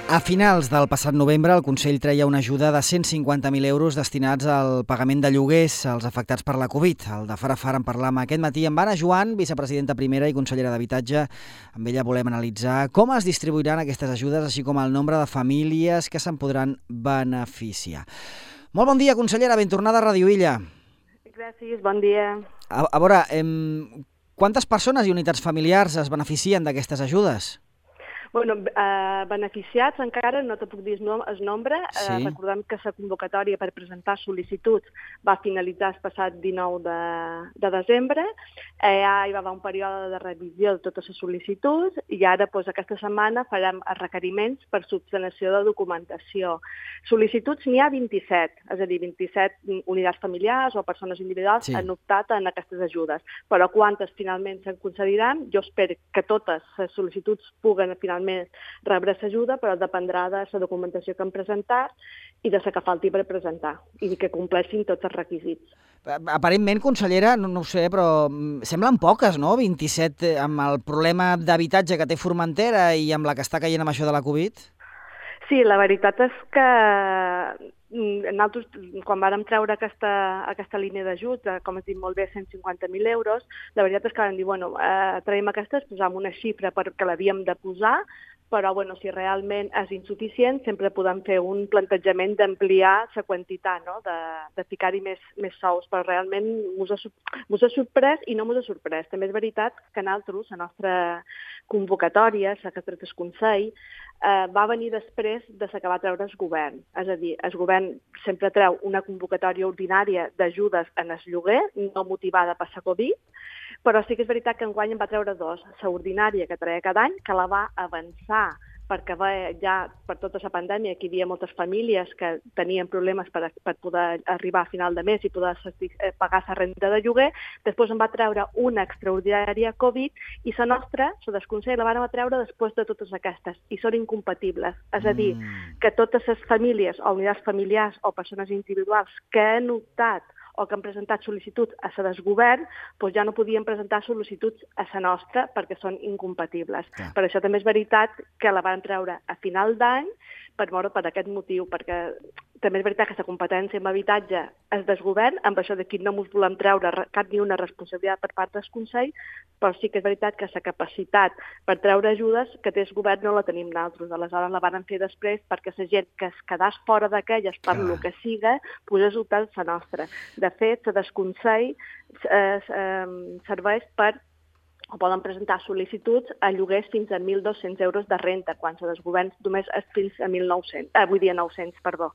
A finals del passat novembre, el Consell treia una ajuda de 150.000 euros destinats al pagament de lloguers als afectats per la Covid. El de Fara Fara en parlam aquest matí amb Anna Joan, vicepresidenta primera i consellera d'Habitatge. Amb ella volem analitzar com es distribuiran aquestes ajudes, així com el nombre de famílies que se'n podran beneficiar. Molt bon dia, consellera, ben tornada a Radio Illa. Gràcies, bon dia. A veure, quantes persones i unitats familiars es beneficien d'aquestes ajudes? Bueno, beneficiats encara no te puc dir el nombre. Sí. Recordem que la convocatòria per presentar sol·licituds va finalitzar el passat 19 de desembre. Ja hi va haver un període de revisió de totes les sol·licituds i ara aquesta setmana farem els requeriments per subsanació de documentació. Sol·licituds n'hi ha 27, és a dir, 27 unitats familiars o persones individuals han optat en aquestes ajudes. Però quantes finalment se'n concediran? Jo espero que totes les sol·licituds puguen finalment rebre l'ajuda, però dependrà de la documentació que han presentat i de la que falti per presentar i que compleixin tots els requisits. Aparentment, consellera, no ho sé, però semblen poques, no? 27 amb el problema d'habitatge que té Formentera i amb la que està caient amb això de la Covid? Sí, la veritat és que nosaltres, quan vàrem treure aquesta línia d'ajut, com has dit molt bé, 150.000 euros, la veritat és que vam dir, traiem aquestes, posam una xifra perquè l'havíem de posar, però si realment és insuficient, sempre podem fer un plantejament d'ampliar la quantitat, no? de ficar-hi més sous, però realment mos ha sorprès i no mos ha sorprès. També és veritat que nosaltres, la nostra convocatòria, la que ha tret el Consell, va venir després de la que va treure el govern. És a dir, el govern sempre treu una convocatòria ordinària d'ajudes en el lloguer, no motivada per la Covid, però sí que és veritat que enguany en va treure dos. La ordinària que treia cada any, que la va avançar perquè ja per tota la pandèmia que hi havia moltes famílies que tenien problemes per poder arribar a final de mes i poder pagar la renda de lloguer. Després en va treure una extraordinària Covid i la nostra, la del Consell, la vam treure després de totes aquestes i són incompatibles. És a dir, que totes les famílies o unitats familiars o persones individuals que han optat o que han presentat sol·licituds a la del govern, ja no podien presentar sol·licituds a la nostra perquè són incompatibles. Per això també és veritat que la van treure a final d'any per aquest motiu, perquè també és veritat que la competència en habitatge és del govern, amb això d'aquí no ens volem treure cap ni una responsabilitat per part del Consell, però sí que és veritat que la capacitat per treure ajudes que té el govern no la tenim nosaltres. Aleshores la van fer després perquè la gent que es quedàs fora d'aquelles per lo que siga, posés optar la nostra. De fet, la del Consell serveix per o poden presentar sol·licituds a lloguers fins a 1.200 euros de renta, quan la dels governs només és fins a 900, perdó.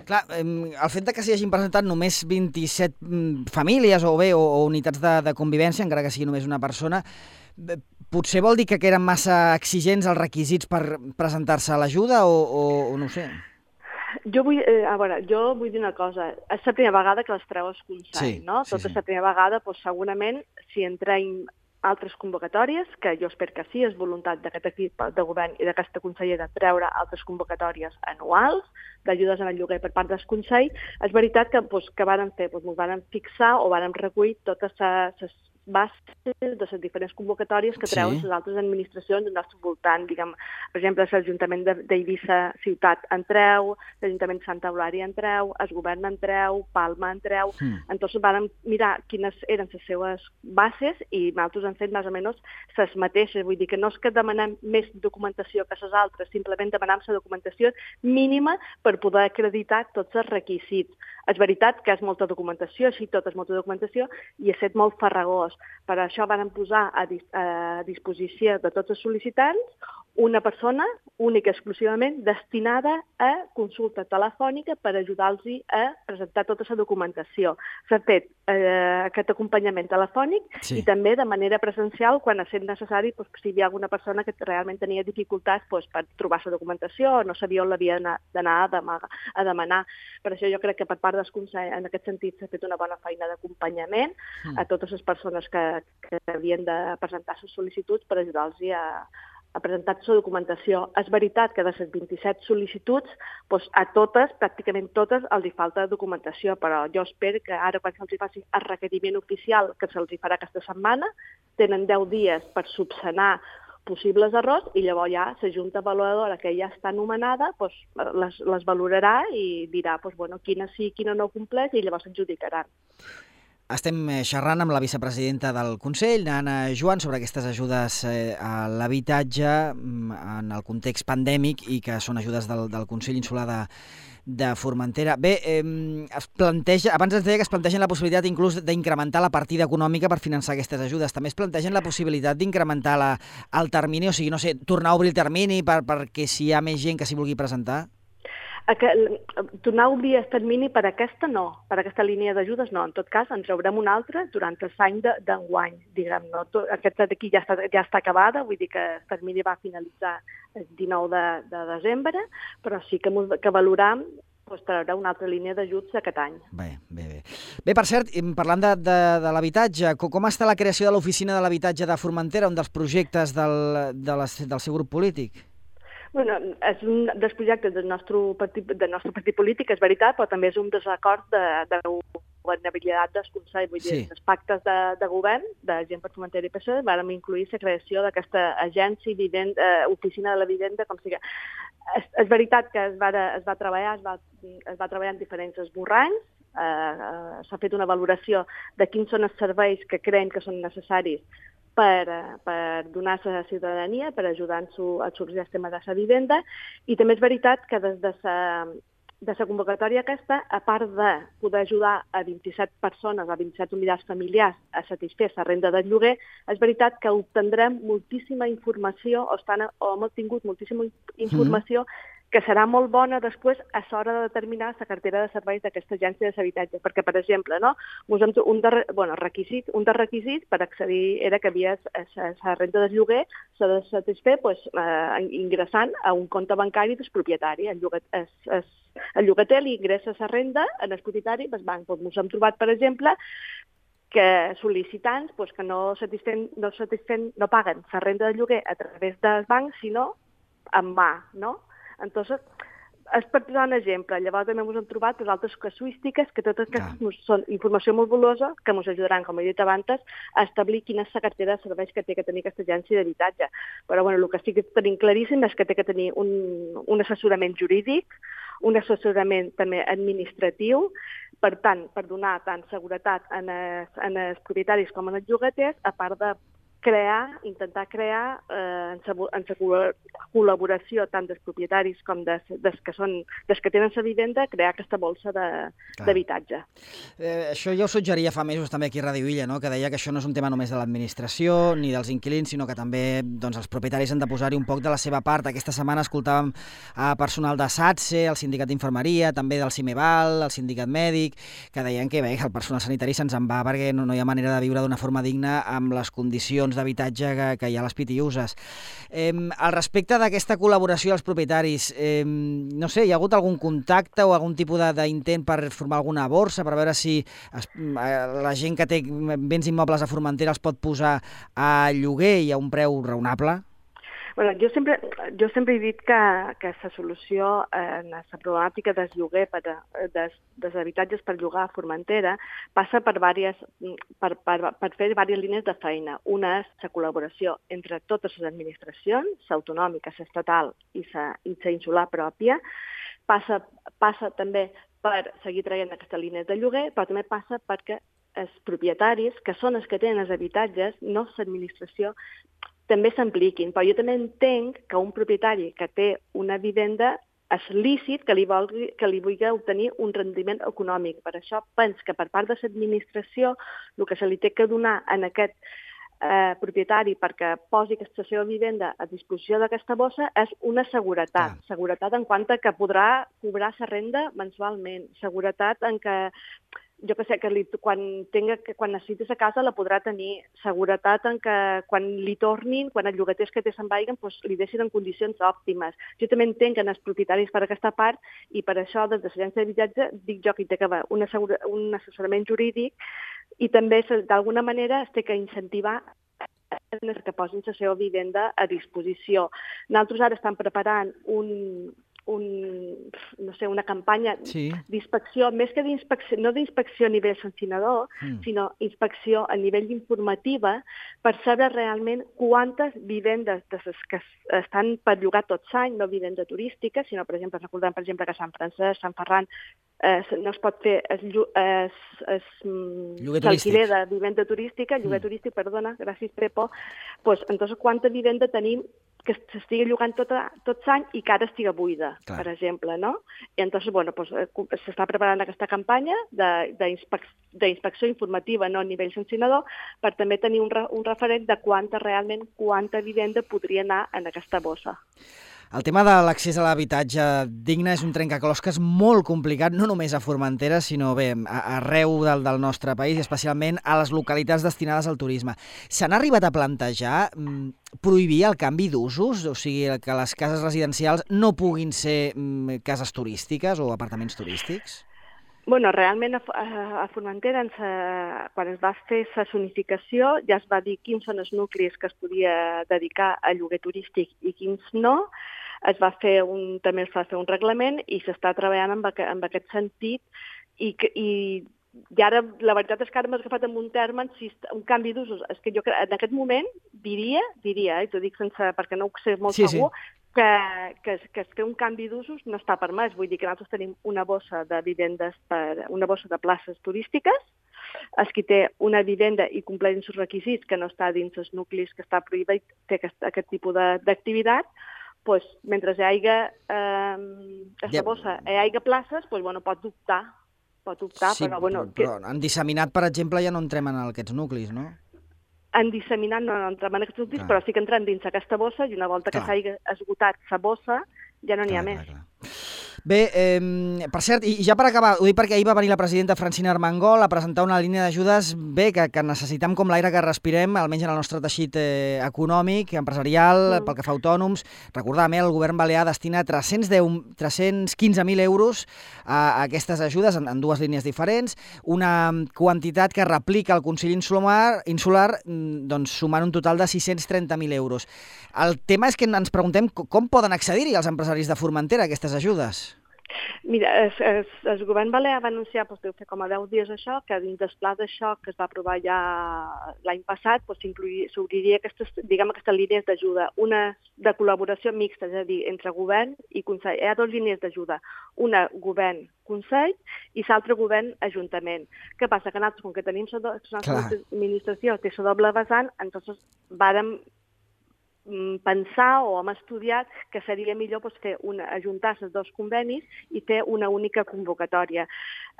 Clar, el fet que s'hi hagin presentat només 27 famílies o unitats de convivència, encara que sigui només una persona, potser vol dir que eren massa exigents els requisits per presentar-se a l'ajuda o no ho sé? Jo vull dir una cosa. És la primera vegada que les treu el Consell, no? Tota la primera vegada, segurament, si entrem altres convocatòries, que jo espero que sí, és voluntat d'aquest equip de govern i d'aquesta consellera treure altres convocatòries anuals d'ajudes en el lloguer per part del Consell, és veritat que vàrem fer, ens vàrem fixar o vàrem recollir totes les bases de les diferents convocatòries que treuen les altres administracions del nostre voltant. Diguem, per exemple, l'Ajuntament d'Eivissa Ciutat en treu, l'Ajuntament de Santa Eulària en treu, el govern en treu, Palma en treu. Entonces vam mirar quines eren les seues bases i nosaltres hem fet més o menys les mateixes. Vull dir que no és que demanem més documentació que les altres, simplement demanem la documentació mínima per poder acreditar tots els requisits. És veritat que és molta documentació, així tot és molta documentació, i ha estat molt farragós. Per això vam posar a disposició de tots els sol·licitants una persona única i exclusivament destinada a consulta telefònica per ajudar-los a presentar tota la documentació. S'ha fet aquest acompanyament telefònic i també de manera presencial quan ha estat necessari, si hi havia alguna persona que realment tenia dificultats per trobar la documentació o no sabia on l'havia d'anar a demanar. Per això jo crec que per part del Consell en aquest sentit s'ha fet una bona feina d'acompanyament a totes les persones que havien de presentar les sol·licituds per ajudar-los a presentar la documentació. És veritat que de les 27 sol·licituds, a totes, pràcticament totes, els hi falta documentació, però jo espero que ara, quan se'ls faci el requeriment oficial, que se'ls farà aquesta setmana, tenen 10 dies per subsanar possibles errors i llavors ja la junta avaluadora que ja està nomenada les valorarà i dirà quina sí, quina no compleix i llavors s'adjudicaran. Estem xerrant amb la vicepresidenta del Consell, Anna Joan, sobre aquestes ajudes a l'habitatge en el context pandèmic i que són ajudes del Consell Insular de Formentera. Bé, abans ens deia que es plantegen la possibilitat inclús d'incrementar la partida econòmica per finançar aquestes ajudes. També es plantegen la possibilitat d'incrementar el termini, o sigui, no sé, tornar a obrir el termini perquè si hi ha més gent que s'hi vulgui presentar? Tornar a obrir el termini per aquesta no, per aquesta línia d'ajudes no. En tot cas, en traurem una altra durant l'any d'enguany, diguem. Aquesta d'aquí ja està acabada, vull dir que el termini va finalitzar el 19 de desembre, però sí que valoram traurà una altra línia d'ajuts aquest any. Bé, per cert, parlant de l'habitatge, com està la creació de l'Oficina de l'Habitatge de Formentera, un dels projectes del seu grup polític? És un dels projectes del nostre partit polític, és veritat, però també és un dels acords de governabilitat del Consell. Vull dir, els pactes de govern de Gent per Formentera i PSOE vam incluir la creació d'aquesta agència, oficina de la vivenda, com sigui. És veritat que es va treballar en diferents esborranys, s'ha fet una valoració de quins són els serveis que creiem que són necessaris per donar a la ciutadania, per ajudar-nos a sorgir el tema de la vivenda, i també és veritat que des de la convocatòria aquesta, a part de poder ajudar a 27 persones, a 27 unitats familiars a satisfer la renda del lloguer, és veritat que obtendrem moltíssima informació, o hem obtingut moltíssima informació que serà molt bona després a l'hora de determinar la cartera de serveis d'aquesta agència de l'habitatge. Perquè, per exemple, un dels requisits per accedir era que la renda del lloguer s'ha de satisfer ingressant a un compte bancari del propietari. El llogater li ingressa la renda en el propietari del banc. Ens hem trobat, per exemple, que sol·licitants que no paguen la renda del lloguer a través del banc, sinó en mà, no? Entonces, és per posar un exemple. Llavors també ens hem trobat altres casuístiques que totes aquestes són informació molt valuosa que ens ajudaran, com he dit abans, a establir quina és la cartera de serveis que té que tenir aquesta agència d'habitatge. Però el que sí que tenim claríssim és que té que tenir un assessorament jurídic, un assessorament també administratiu, per tant, per donar tant seguretat en els propietaris com en els llogaters, a part de intentar crear en la col·laboració tant dels propietaris com dels que tenen la vivenda, crear aquesta bolsa d'habitatge. Això ja ho suggeria fa mesos també aquí a Ràdio Illa, que deia que això no és un tema només de l'administració ni dels inquilins, sinó que també els propietaris han de posar-hi un poc de la seva part. Aquesta setmana escoltàvem personal de SATSE, el sindicat d'infermeria, també del CIMEVAL, el sindicat mèdic, que deien que el personal sanitari se'ns en va perquè no hi ha manera de viure d'una forma digna amb les condicions d'habitatge que hi ha a les pitiuses. Al respecte d'aquesta col·laboració dels propietaris, no sé, hi ha hagut algun contacte o algun tipus d'intent per formar alguna borsa, per veure si la gent que té béns immobles a Formentera els pot posar a lloguer i a un preu raonable? Jo sempre he dit que la solució en la problemàtica del lloguer, dels habitatges per llogar a Formentera, passa per fer diverses línies de feina. Una és la col·laboració entre totes les administracions, l'autonòmica, l'estatal i la insular pròpia. Passa també per seguir traient aquestes línies de lloguer, però també passa perquè els propietaris, que són els que tenen els habitatges, no l'administració, també s'impliquin. Però jo també entenc que un propietari que té una vivenda és lícit que li vulgui obtenir un rendiment econòmic. Per això penso que per part de l'administració el que se li té que donar en aquest propietari perquè posi aquesta seva vivenda a disposició d'aquesta bossa és una seguretat. Seguretat en quant que podrà cobrar la renda mensualment. Seguretat en que quan necessiti la casa la podrà tenir. Seguretat en que quan li tornin, quan els llogaters que té se'n vagin, li deixin en condicions òptimes. Jo també entenc que els propietaris per aquesta part, i per això des de l'agència d'habitatge dic jo que hi té que haver un assessorament jurídic i també d'alguna manera es té que incentivar que posin la seva vivenda a disposició. Nosaltres ara estem preparant una campanya d'inspecció, més que d'inspecció, no d'inspecció a nivell sancionador, sinó inspecció a nivell informativa per saber realment quantes vivendes que estan per llogar tot l'any, no vivenda turística, sinó, per exemple, recordem, per exemple, que a Sant Francesc, Sant Ferran, no es pot fer l'alquiler de vivenda turística, lloguer turístic, perdona, gràcies, Pepo. Pues, entonces, quanta vivenda tenim que s'estigui llogant tot l'any i que ara estigui buida, per exemple, no? I entonces, bueno, pues, s'està preparant aquesta campanya d'inspecció informativa, no a nivell sancionador, per també tenir un referent de quanta vivenda podria anar en aquesta bossa. El tema de l'accés a l'habitatge digne és un trencaclosques molt complicat, no només a Formentera, sinó bé, arreu del nostre país, i especialment a les localitats destinades al turisme. S'han arribat a plantejar prohibir el canvi d'usos? O sigui, que les cases residencials no puguin ser cases turístiques o apartaments turístics? Bueno, realment a Formentera, quan es va fer la zonificació, ja es va dir quins són els nuclis que es podia dedicar a lloguer turístic i quins no. També es va fer un reglament i s'està treballant en aquest sentit i ara la veritat és que ara m'has agafat en un terme, un canvi d'usos. És que jo en aquest moment diria, i t'ho dic perquè no ho sé molt segur, que fer un canvi d'usos no està permès. Vull dir que nosaltres tenim una bossa de vivendes, una bossa de places turístiques. Els qui té una vivenda i compleix els requisits que no està dins els nuclis que està prohibit, té aquest tipus d'activitat, doncs, mentre hi hagi aquesta bossa, hi hagi places, doncs, pot optar. Sí, però en disseminat, per exemple, ja no entrem en aquests nuclis, no? En disseminat no entrem en aquests nuclis, però sí que entrem dins aquesta bossa i una volta que s'hagi esgotat la bossa ja no n'hi ha més. Bé, per cert, i ja per acabar, ho dic perquè ahir va venir la presidenta Francina Armengol a presentar una línia d'ajudes que necessitem com l'aire que respirem, almenys en el nostre teixit econòmic, empresarial, pel que fa a autònoms. Recordàvem, el govern balear destina 315.000 euros a aquestes ajudes en dues línies diferents, una quantitat que replica el Consell Insular, sumant un total de 630.000 euros. El tema és que ens preguntem com poden accedir-hi els empresaris de Formentera a aquestes ajudes. Mira, el govern balear va anunciar, deu fer com a 10 dies això, que dins del pla de xoc que es va aprovar ja l'any passat s'obriria aquestes línies d'ajuda, una de col·laboració mixta, és a dir, entre govern i Consell. Hi ha dues línies d'ajuda, una govern-Consell i l'altra govern-Ajuntament. Què passa? Que nosaltres, com que tenim l'administració, té la doble vessant, entonces vàrem pensar o hem estudiat que seria millor ajuntar els dos convenis i fer una única convocatòria.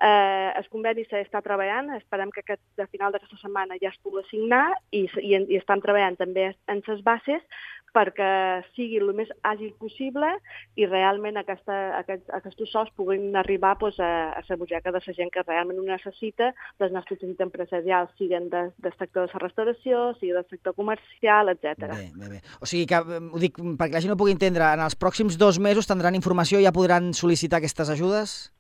El conveni s'està treballant, esperem que a final d'aquesta setmana ja es pugui signar i estan treballant també en les bases perquè sigui el més àgil possible i realment aquests sols puguin arribar a la butxaca de la gent que realment ho necessita, dels nostres teixits empresarials, siguin del sector de la restauració, siguin del sector comercial, etc. Bé. O sigui que, ho dic perquè la gent ho pugui entendre, en els pròxims 2 mesos tindran informació i ja podran sol·licitar aquestes ajudes?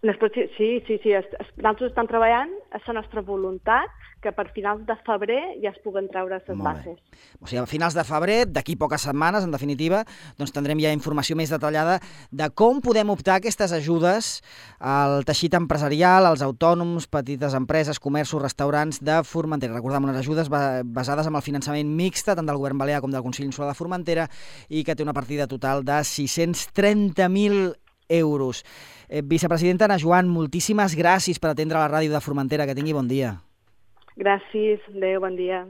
Sí. Nosaltres estem treballant, és la nostra voluntat que per finals de febrer ja es puguen treure les bases. O sigui, a finals de febrer, d'aquí poques setmanes, en definitiva, doncs tindrem ja informació més detallada de com podem optar a aquestes ajudes al teixit empresarial, als autònoms, petites empreses, comerços, restaurants de Formentera. Recordem, unes ajudes basades en el finançament mixte, tant del govern balear com del Consell Insular de Formentera, i que té una partida total de 630.000 euros. Vicepresidenta Ana Joan, moltíssimes gràcies per atendre la ràdio de Formentera. Que tingui bon dia. Gràcies. Adéu, bon dia.